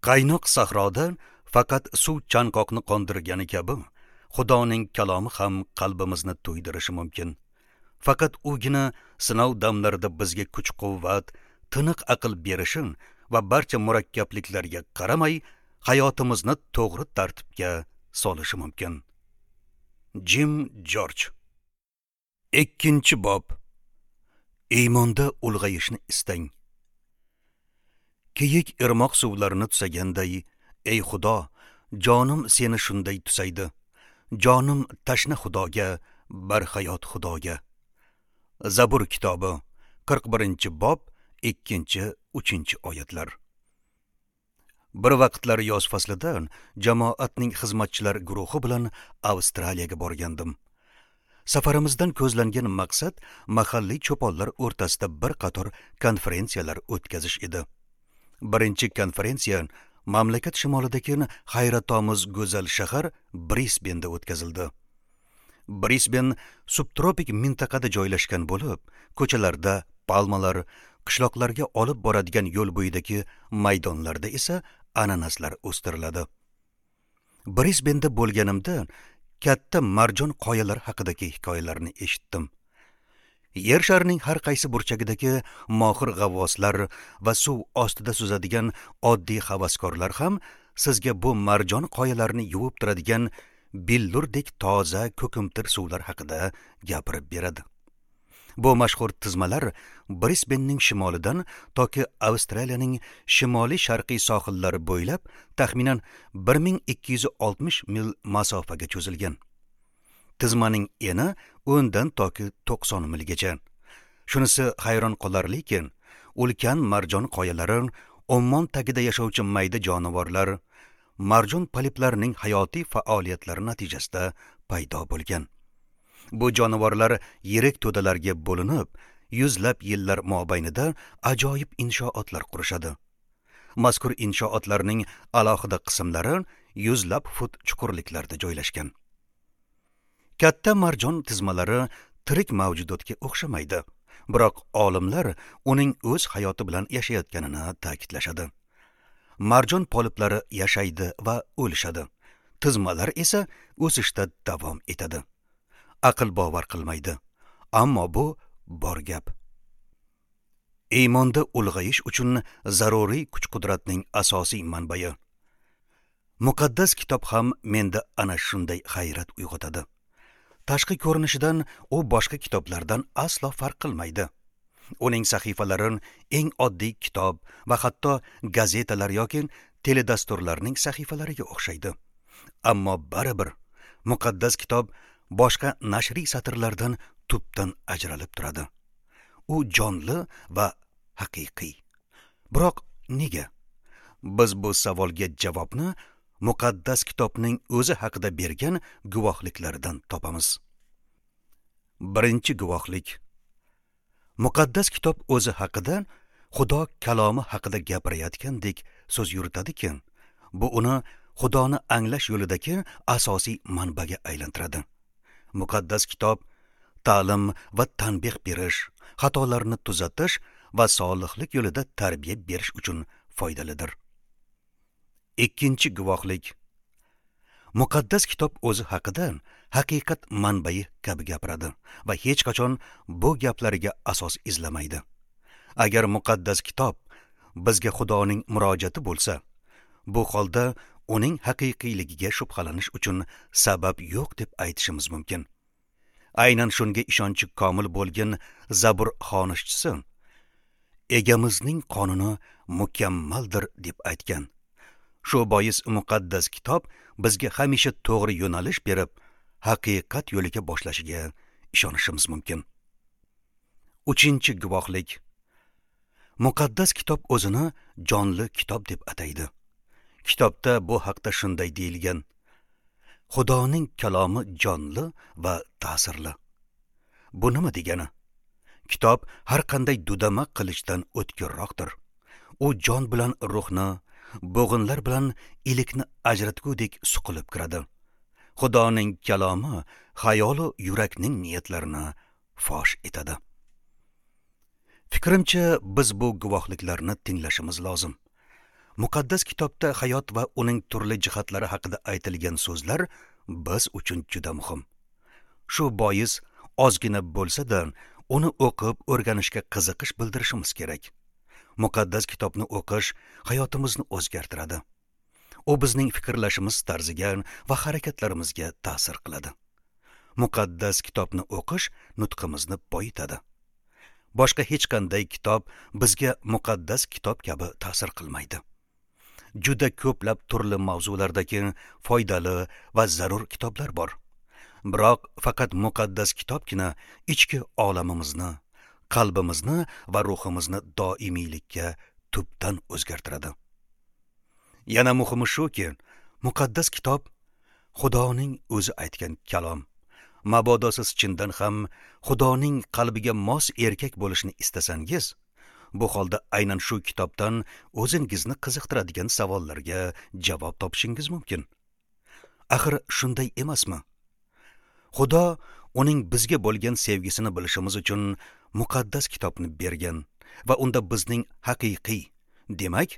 Qaynoq sahroda faqat suv chanqoqni qondirgani kabi, Xudoning kalomi ham qalbimizni to'ydirishi mumkin. Faqat ugina sinov damlarida bizga kuch-quvvat, tiniq aql berishi va barcha murakkabliklarga qaramay hayotimizni to'g'ri tartibga solishi mumkin. Jim Jorj. 2-bob. Iymonda ulg'ayishni istang. Kiyik irmoq suvlarini tusaganday, ey Xudo, jonim seni shunday tusaydi. Jonim tashna Xudoga, barhayot Xudoga. Zabur kitobi 41-bob 2-3 oyatlar. Bir vaqtlar yoz faslida jamoatning xizmatchilar guruhi bilan Avstraliyaga borgandim. Safarimizdan ko'zlangan maqsad mahalliy cho'ponlar o'rtasida bir qator konferensiyalar o'tkazish edi. Birinchi konferensiya mamlakat shimolidagi hayratomuz go'zal shahar Brisbenda o'tkazildi. Brisben subtropik mintaqada joylashgan bo'lib, ko'chalarda palmalar, qishloqlarga olib boradigan yo'l bo'yidagi maydonlarda esa ananaslar o'stiriladi. Brisbenda bo'lganimda katta marjon qoyalar haqidagi hikoyalarni eshitdim. Yer sharining har qaysi burchagidagi mohir g'avvoslar va suv ostida suzadigan oddiy havaskorlar ham sizga bu marjon qoyalarini yuvib turadigan billurdek toza ko'kimtir suvlar haqida gapirib beradi. Bu mashhur tizmalar Brisbenning shimolidan toki Avstraliyaning shimoliy sharqiy sohillari bo'ylab taxminan 1260 mil masofaga cho'zilgan. Tizmaning eni 10 dan toki 90 milgacha. Shunisi hayron qolarliki, ulkan marjon qoyalari ummon tagida yashovchi mayda jonivorlar, marjon poliplarining hayotiy faoliyatlari natijasida paydo bo'lgan. Bu jonivorlar yirik to'dalarga bo'linib, yuzlab yillar mobaynida ajoyib inshootlar qurishadi. Mazkur inshootlarning alohida qismlari yuzlab fut chuqurliklarda joylashgan. Katta marjon tizmalari tirik mavjudotga o'xshamaydi, biroq olimlar uning o'z hayoti bilan yashayotganini ta'kidlashadi. Marjon poliplari yashaydi va o'lishadi. Tizmalar esa o'sishda davom etadi. Aql bovar qilmaydi, ammo bu bor gap. Iymonda ulg'ayish uchun zaruriy kuch-qudratning asosiy manbai. Muqaddas kitob ham menda ana shunday hayrat uyg'otadi. Tashqi ko'rinishidan u boshqa kitoblardan aslo farq qilmaydi. Uning sahifalari eng oddiy kitob va hatto gazetalar yoki teledasturlarning sahifalariga o'xshaydi. Ammo baribir muqaddas kitob boshqa nashriy satrlardan tubdan ajralib turadi. U jonli va haqiqiy. Biroq nega? Biz bu savolga javobni muqaddas kitobning o'zi haqida bergan guvohliklaridan topamiz. Birinchi guvohlik. Muqaddas kitob o'zi haqida Xudo kalomi haqida gapirayotgandek so'z yuritadiki, bu uni Xudoni anglash yo'lidagi asosiy manbaga aylantiradi. Muqaddas kitob ta'lim va tanbeh berish, xatolarni tuzatish va solihlik yo'lida tarbiya berish uchun foydalidir. Ikkinchi guvohlik. Muqaddas kitob o'zi haqida haqiqat manbai kabi gapiradi va hech qachon bu gaplariga asos izlamaydi. Agar muqaddas kitob bizga Xudoning murojaati bo'lsa, bu holda uning haqiqiyligiga shubhalanish uchun sabab yo'q deb aytishimiz mumkin. Aynan shunga ishonchi komil bo'lgan Zabur xonishchisi egamizning qonuni mukammaldir deb aytgan. Shu bois muqaddas kitob bizga hamisha to'g'ri yo'nalish berib, haqiqat yo'liga boshlashiga ishonishimiz mumkin. Uchinchi guvohlik. Muqaddas kitob o'zini jonli kitob deb ataydi. Kitobda bu haqda shunday deyilgan: Xudoning kalomi jonli va ta'sirli. Bu nima degani? Kitob har qanday dudama qilichdan o'tkirroqdir. U jon bilan ruhni, bo'g'inlar bilan ilikni ajratgudek suqilib kiradi. Xudoning kalomi xayolu yurakning niyatlarini fosh etadi. Fikrimcha, biz bu guvohliklarni tinglashimiz lozim. Muqaddas kitobda hayot va uning turli jihatlari haqida aytilgan so'zlar biz uchun juda muhim. Shu bois ozgina bo'lsa-da uni o'qib o'rganishga qiziqish bildirishimiz kerak. Muqaddas kitobni o'qish hayotimizni o'zgartiradi. U bizning fikrlashimiz tarziga va harakatlarimizga ta'sir qiladi. Muqaddas kitobni o'qish nutqimizni boyitadi. Boshqa hech qanday kitob bizga muqaddas kitob kabi ta'sir qilmaydi. Juda ko'plab turli mavzulardagi foydali va zarur kitoblar bor. Biroq faqat muqaddas kitobgina ichki olamimizni, qalbimizni va ruhimizni doimiylikka tubdan o'zgartiradi. Yana muhimi shuki, muqaddas kitob Xudoning o'zi aytgan kalom. Mabodo siz chindan ham Xudoning qalbiga mos erkak bo'lishni istasangiz, bu holda aynan shu kitobdan o'zingizni qiziqtiradigan savollarga javob topishingiz mumkin. Axir shunday emasmi? Xudo uning bizga bo'lgan sevgisini bilishimiz uchun muqaddas kitobni bergan va unda bizning haqiqiy, demak,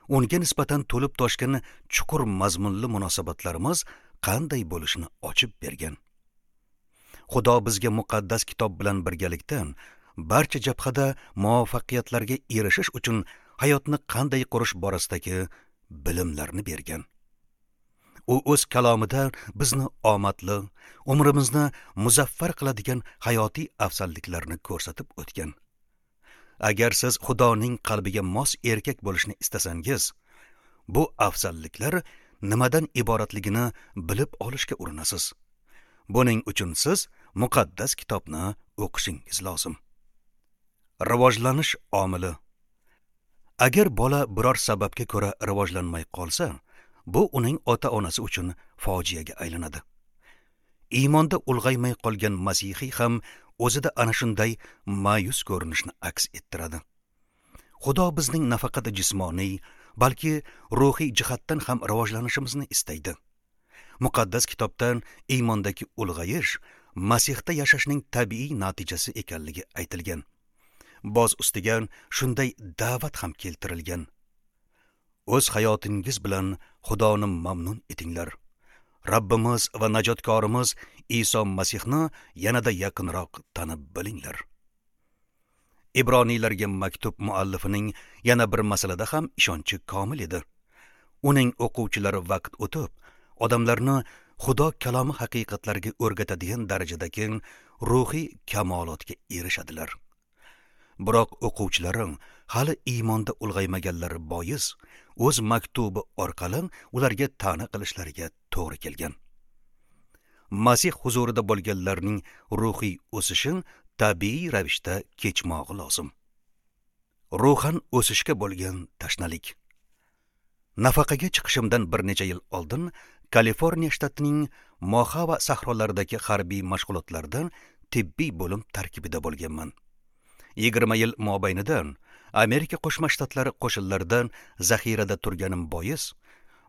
unga nisbatan to'lib toshgan chuqur mazmunli munosabatlarimiz qanday bo'lishini ochib bergan. Xudo bizga muqaddas kitob bilan birgalikda barcha jabhada muvaffaqiyatlarga erishish uchun hayotni qanday qurish borasidagi bilimlarni bergan. U o'z kalomida bizni omadli, umrimizni muzaffar qiladigan hayotiy afzalliklarni ko'rsatib o'tgan. Agar siz Xudoning qalbiga mos erkak bo'lishni istasangiz, bu afzalliklar nimadan iboratligini bilib olishga urinasiz. Buning uchun siz muqaddas kitobni o'qishingiz lozim. Rivojlanish omili. Agar bola biror sababga ko'ra rivojlanmay qolsa, bu uning ota-onasi uchun fojiaga aylanadi. Iymonda ulg'aymay qolgan masihiy ham o'zida ana shunday ma'yus ko'rinishni aks ettiradi. Xudo bizning nafaqat jismoniy, balki ruhiy jihatdan ham rivojlanishimizni istaydi. Muqaddas kitobdan iymondagi ulg'ayish Masihda yashashning tabiiy natijasi ekanligi aytilgan. Boz ustiga shunday da'vat ham keltirilgan. O'z hayotingiz bilan Xudoni mamnun etinglar. Rabbimiz va najotkorimiz Iso Masihni yanada yaqinroq tanib bilinglar. Ibroniylarga maktub muallifining yana bir masalada ham ishonchi komil edi. Uning o'quvchilari vaqt o'tib, odamlarni Xudo kalomi haqiqatlariga o'rgatadigan darajadagi ruhiy kamolotga erishadilar. Biroq o'quvchilari hali iymonda ulg'aymaganlari bois o'z maktubi orqali ularga ta'na qilishlariga to'g'ri kelgan. Masih huzurida bo'lganlarning ruhiy o'sishi tabiiy ravishda kechmog'i lozim. Ruhan o'sishga bo'lgan tashnalik. Nafaqaga chiqishimdan bir necha yil oldin Kaliforniya shtatining Mojave sahrolaridagi harbiy mashg'ulotlardan tibbiy bo'lim tarkibida bo'lganman. 20 yil mobaynida Amerika Qo'shma Shtatlari qo'shinlaridan zaxirada turganim bois,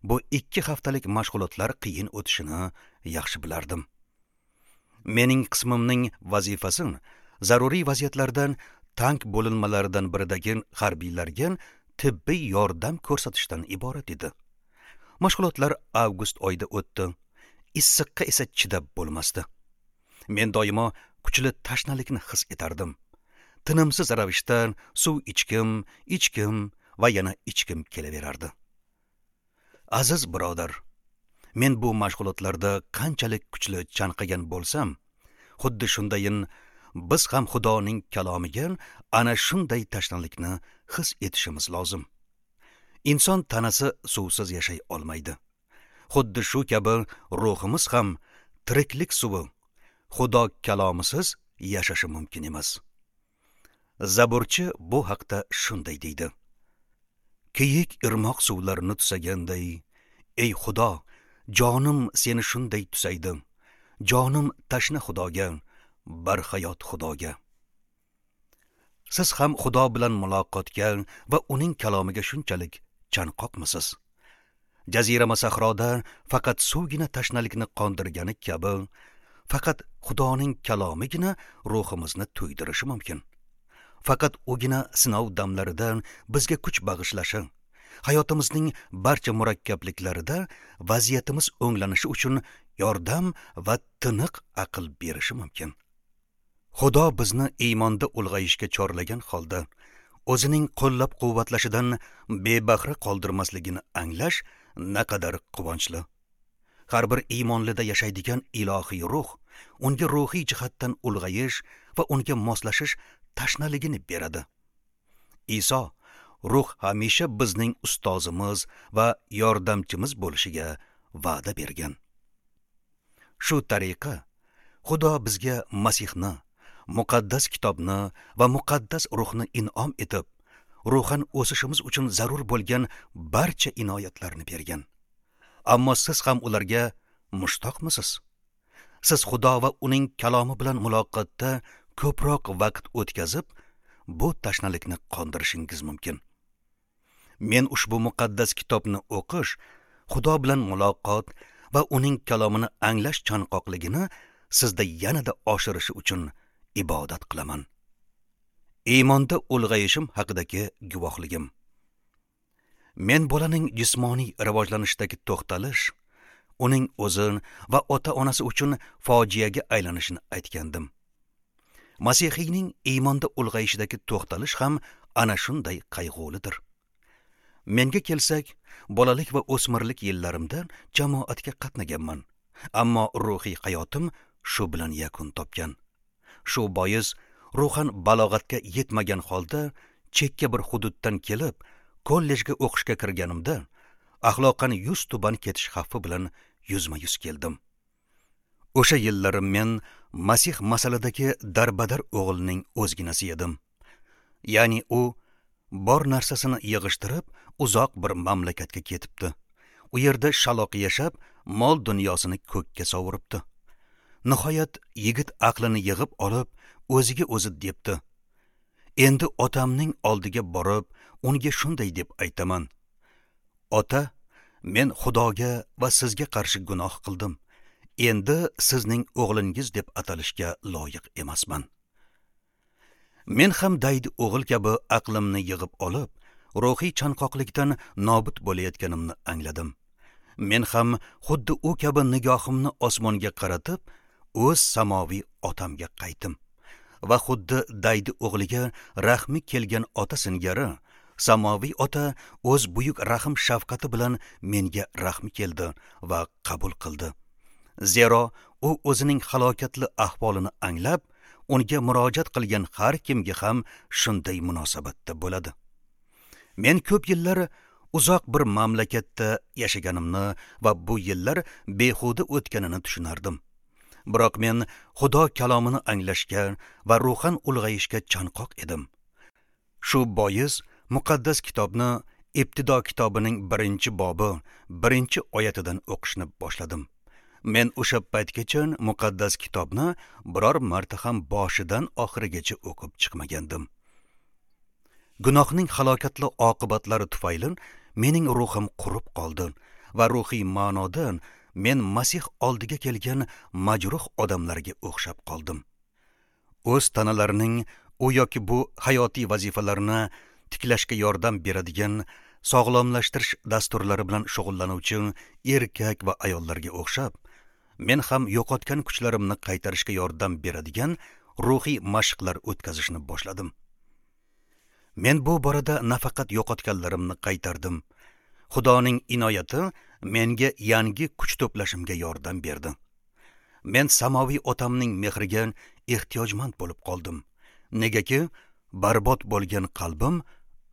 bu 2 haftalik mashg'ulotlar qiyin o'tishini yaxshi bilardim. Mening qismimning vazifasi zaruriy vaziyatlardan tank bo'linmalaridan biridagi harbiylarga tibbiy yordam ko'rsatishdan iborat edi. Mashg'ulotlar avgust oyida o'tdi. Issiqqa esa chidab bo'lmasdi. Men doimo kuchli tashnalikni his etardim. Tinimsiz ravishda suv ichkim, ichkim va yana ichkim kelaverardi. Aziz birodar, men bu mashg'ulotlarda qanchalik kuchli chanqagan bo'lsam, xuddi shundayin biz ham Xudoning kalomiga ana shunday tashnalikni his etishimiz lozim. Inson tanasi suvsiz yashay olmaydi. Xuddi shu kabi ruhimiz ham tiriklik suvi, Xudo kalomisiz yashashi mumkin emas. Zaburchi bu haqda shunday deydi: Kiyik irmoq suvlarini tusaganday, ey Xudo, jonim seni shunday tusaydi. Jonim tashna Xudoga, barhayot Xudoga. Siz ham Xudo bilan muloqotga va uning kalomiga shunchalik chanqoqmisiz? Jazirama sahroda faqat suvgina tashnalikni qondirgani kabi, faqat Xudoning kalomigina ruhimizni to'ydirishi mumkin. Faqat ugina sinov damlaridan bizga kuch bag'ishlashi Hayotimizning barcha murakkabliklarida vaziyatimiz o'nglanishi uchun yordam va tiniq aql berishi mumkin. Xudo bizni iymonda ulg'ayishga chorlagan holda o'zining qo'llab-quvvatlashidan bebahra qoldirmasligini anglash naqadar quvonchli. Har bir iymonlida yashaydigan ilohiy ruh unga ruhiy jihatdan ulg'ayish va unga moslashish tashnaligini beradi. Iso ruh hamisha bizning ustozimiz va yordamchimiz bo'lishiga va'da bergan. Shu tariqa Xudo bizga Masihni, muqaddas kitobni va muqaddas ruhni in'om etib, ruhan o'sishimiz uchun zarur bo'lgan barcha inoyatlarni bergan. Ammo siz ham ularga mushtoqmisiz? Siz Xudo va uning kalomi bilan muloqotda ko'proq vaqt o'tkazib, bu tashnalikni qondirishingiz mumkin. Men ushbu muqaddas kitobni o'qish, Xudo bilan muloqot va uning kalomini anglash chanqoqligini sizda yanada oshirishi uchun ibodat qilaman. Iymonda ulg'ayishim haqidagi guvohligim. Men bolaning jismoniy rivojlanishidagi to'xtalish, uning o'zi va ota-onasi uchun fojiaga aylanishini aytgandim. Masihiyning iymonda ulg'ayishidagi to'xtalish ham ana shunday qayg'ulidir. Menga kelsak, bolalik va o'smirlik yillarimda jamoatga qatnaganman, ammo ruhiy hayotim shu bilan yakun topgan. Shu bois ruhan balog'atga yetmagan holda chekka bir hududdan kelib, kollejga o'qishga kirganimda axloqan yuz tuban ketish xavfi bilan yuzma-yuz keldim. O'sha yillari men Masih masaladagi darbadar o'g'ilning o'zginasi edim. Ya'ni u bor narsasini yig'ishtirib, uzoq bir mamlakatga ketibdi. U yerda shaloq yashab, mol dunyosini ko'kka sovuribdi. Nihoyat yigit aqlini yig'ib olib, o'ziga o'zi debdi: Endi otamning oldiga borib, unga shunday deb aytaman: Ota, men Xudoga va sizga qarshi gunoh qildim. Endi sizning o'g'lingiz deb atalishga loyiq emasman. Men ham daydi o'g'il kabi aqlimni yig'ib olib, ruhiy chanqoqlikdan nobud bo'layotganimni angladim. Men ham xuddi u kabi nigohimni osmonga qaratib, o'z samoviy otamga qaytdim va xuddi daydi o'g'liga rahmi kelgan ota singari samoviy ota o'z buyuk rahm shafqati bilan menga rahmi keldi va qabul qildi. Zero u o'zining halokatli ahvolini anglab, unga murojaat qilgan har kimga ham shunday munosabatda bo'ladi. Men ko'p yillar uzoq bir mamlakatda yashaganimni va bu yillar behuda o'tganini tushunardim. Biroq men Xudo kalomini anglashga va ruhan ulg'ayishga chanqoq edim. Shu bois muqaddas kitobni Ibtido kitobining 1-bobi, 1-oyatidan o'qishni boshladim. Men o'sha paytgacha muqaddas kitobni biror marta ham boshidan oxirigacha o'qib chiqmagandim. Gunohning halokatli oqibatlari tufayli mening ruhim qurib qoldi va ruhiy ma'nodan men Masih oldiga kelgan majruh odamlarga o'xshab qoldim. O'z tanalarining u yoki bu hayotiy vazifalarini tiklashga yordam beradigan sog'lomlashtirish dasturlari bilan shug'ullanuvchi erkak va ayollarga o'xshab, men ham yo'qotgan kuchlarimni qaytarishga yordam beradigan ruhiy mashqlar o'tkazishni boshladim. Men bu borada nafaqat yo'qotganlarimni qaytardim. Xudoning inoyati menga yangi kuch to'plashimga yordam berdi. Men samoviy otamning mehriga ehtiyojmand bo'lib qoldim. Negaki barbod bo'lgan qalbim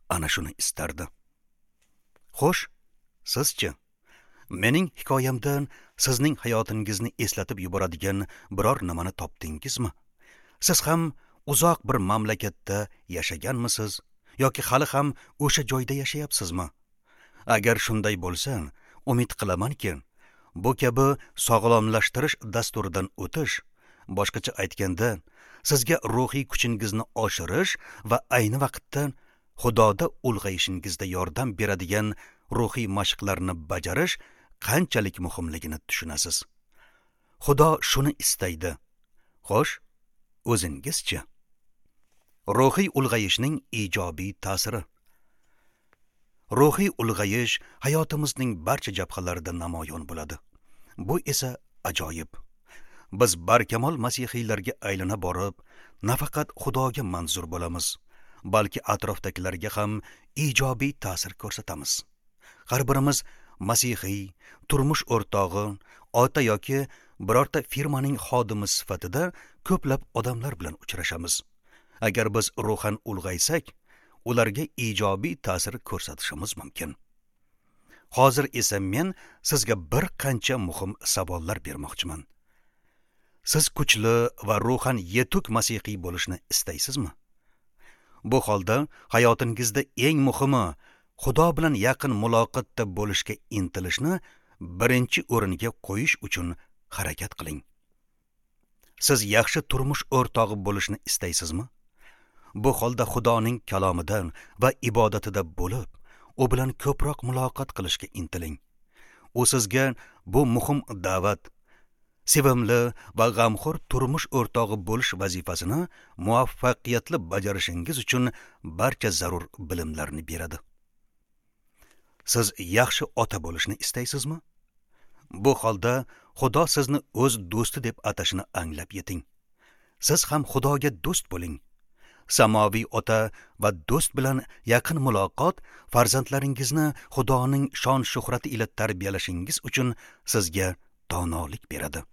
ana shuni istardi. Xo'sh, sizchi? Mening hikoyamdan sizning hayotingizni eslatib yuboradigan biror nimani topdingizmi? Siz ham uzoq bir mamlakatda yashaganmisiz yoki hali ham o'sha joyda yashayapsizmi? Agar shunday bo'lsa, umid qilamanki, bu kabi sog'lomlashtirish dasturidan o'tish, boshqacha aytganda, sizga ruhiy kuchingizni oshirish va ayni vaqtda Xudoda ulg'ayishingizda yordam beradigan ruhiy mashqlarni bajarish qanchalik muhimligini tushunasiz. Xudo shuni istaydi. Xo'sh, o'zingizchi? Ruhiy ulg'ayishning ijobiy ta'siri. Ruhiy ulg'ayish hayotimizning barcha jabhalarida namoyon bo'ladi. Bu esa ajoyib. Biz barkamol masihiylarga aylana borib, nafaqat Xudoga manzur bo'lamiz, balki atrofdagilarga ham ijobiy ta'sir ko'rsatamiz. Har birimiz masihiy, turmush o'rtog'i, ota yoki birorta firmaning xodimi sifatida ko'plab odamlar bilan uchrashamiz. Agar biz ruhan ulg'aysak, ularga ijobiy ta'sir ko'rsatishimiz mumkin. Hozir esa men sizga bir qancha muhim savollar bermoqchiman. Siz kuchli va ruhan yetuk masihiy bo'lishni istaysizmi? Bu holda hayotingizda eng muhimi Xudo bilan yaqin muloqotda bo'lishga intilishni birinchi o'ringa qo'yish uchun harakat qiling. Siz yaxshi turmush o'rtog'i bo'lishni istaysizmi? Bu holda Xudoning kalomida va ibodatida bo'lib, u bilan ko'proq muloqot qilishga intiling. U sizga bu muhim da'vat, sevimli va g'amxo'r turmush o'rtog'i bo'lish vazifasini muvaffaqiyatli bajarishingiz uchun barcha zarur bilimlarni beradi. Siz yaxshi ota bo'lishni istaysizmi? Bu holda Xudo sizni o'z do'sti deb atashini anglab yeting. Siz ham Xudoga do'st bo'ling. Samoviy ota va do'st bilan yaqin muloqot farzandlaringizni Xudoning shon shuhrati ila tarbiyalashingiz uchun sizga donolik beradi.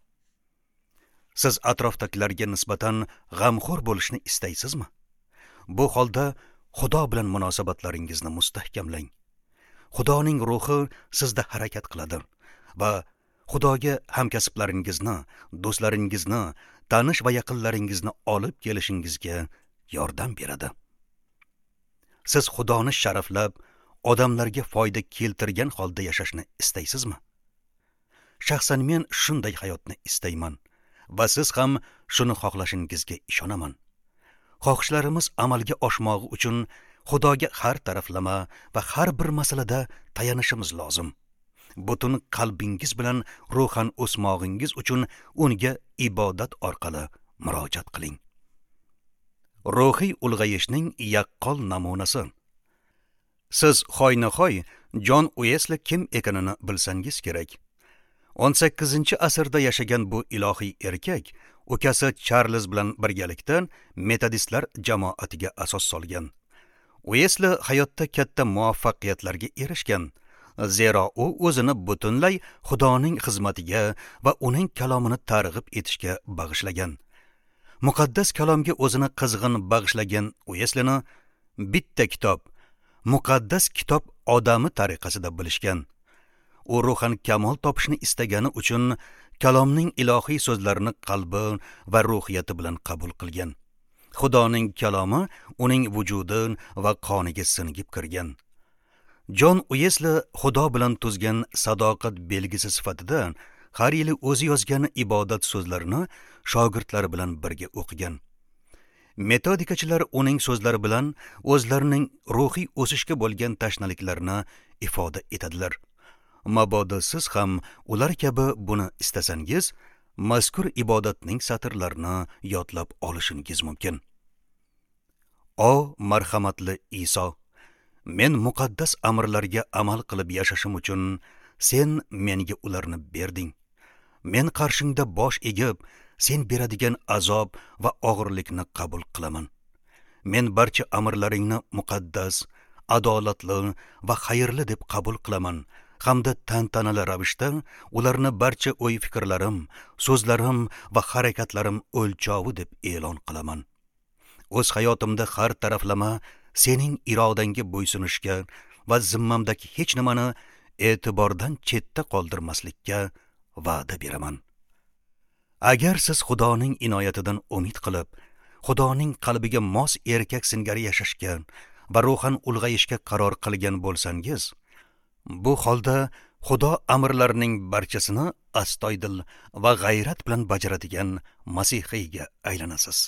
Siz atrofdagilarga nisbatan g'amxo'r bo'lishni istaysizmi? Bu holda Xudo bilan munosabatlaringizni mustahkamlang. Xudoning ruhi sizda harakat qiladi va Xudoga hamkasblaringizni, do'stlaringizni, tanish va yaqinlaringizni olib kelishingizga yordam beradi. Siz Xudoni sharaflab, odamlarga foyda keltirgan holda yashashni istaysizmi? Shaxsan men shunday hayotni istayman va siz ham shuni xohlashingizga ishonaman. Xohishlarimiz amalga oshmog'i uchun Xudoga har taraflama va har bir masalada tayanishimiz lozim. Butun qalbingiz bilan ruhan o'smog'ingiz uchun unga ibodat orqali murojaat qiling. Ruhiy ulg'ayishning yaqqol namunasi. Siz hoynahoy Jon Uesli kim ekanini bilsangiz kerak. 18-asrda yashagan bu ilohiy erkak ukasi Charlz bilan birgalikda metodistlar jamoatiga asos solgan. Uesli hayotda katta muvaffaqiyatlarga erishgan, zero u o'zini butunlay Xudoning xizmatiga va uning kalomini targ'ib etishga bag'ishlagan. Muqaddas kalomga o'zini qizg'in bag'ishlagan Ueslini bitta kitob, Muqaddas kitob odami tariqasida bilishgan. U ruhan kamol topishni istagani uchun kalomning ilohiy so'zlarini qalbi va ruhiyati bilan qabul qilgan. Xudoning kalomi uning vujudi va qoniga singib kirgan. Jon Uesli Xudo bilan tuzgan sadoqat belgisi sifatida har yili o'zi yozgan ibodat so'zlarini shogirdlari bilan birga o'qigan. Metodikachilar uning so'zlari bilan o'zlarining ruhiy o'sishga bo'lgan tashnaliklarini ifoda etadilar. Mabodo siz ham ular kabi buni istasangiz, mazkur ibodatning satrlarini yodlab olishingiz mumkin. O marhamatli Iso, men muqaddas amrlarga amal qilib yashashim uchun sen menga ularni berding. Men qarshingda bosh egib, sen beradigan azob va og'irlikni qabul qilaman. Men barcha amrlaringni muqaddas, adolatli va xayrli deb qabul qilaman hamda tantanali ravishda ularni barcha o'y-fikrlarim, so'zlarim va harakatlarim o'lchovi deb e'lon qilaman. O'z hayotimda har taraflama sening irodangga bo'ysunishga va zimmamdagi hech nimani e'tibordan chetda qoldirmaslikka va'da beraman. Agar siz Xudoning inoyatidan umid qilib, Xudoning qalbiga mos erkak singari yashashga va ruhan ulg'ayishga qaror qilgan bo'lsangiz, bu holda Xudo amrlarining barchasini astoydil va g'ayrat bilan bajaradigan masihiyga aylanasiz.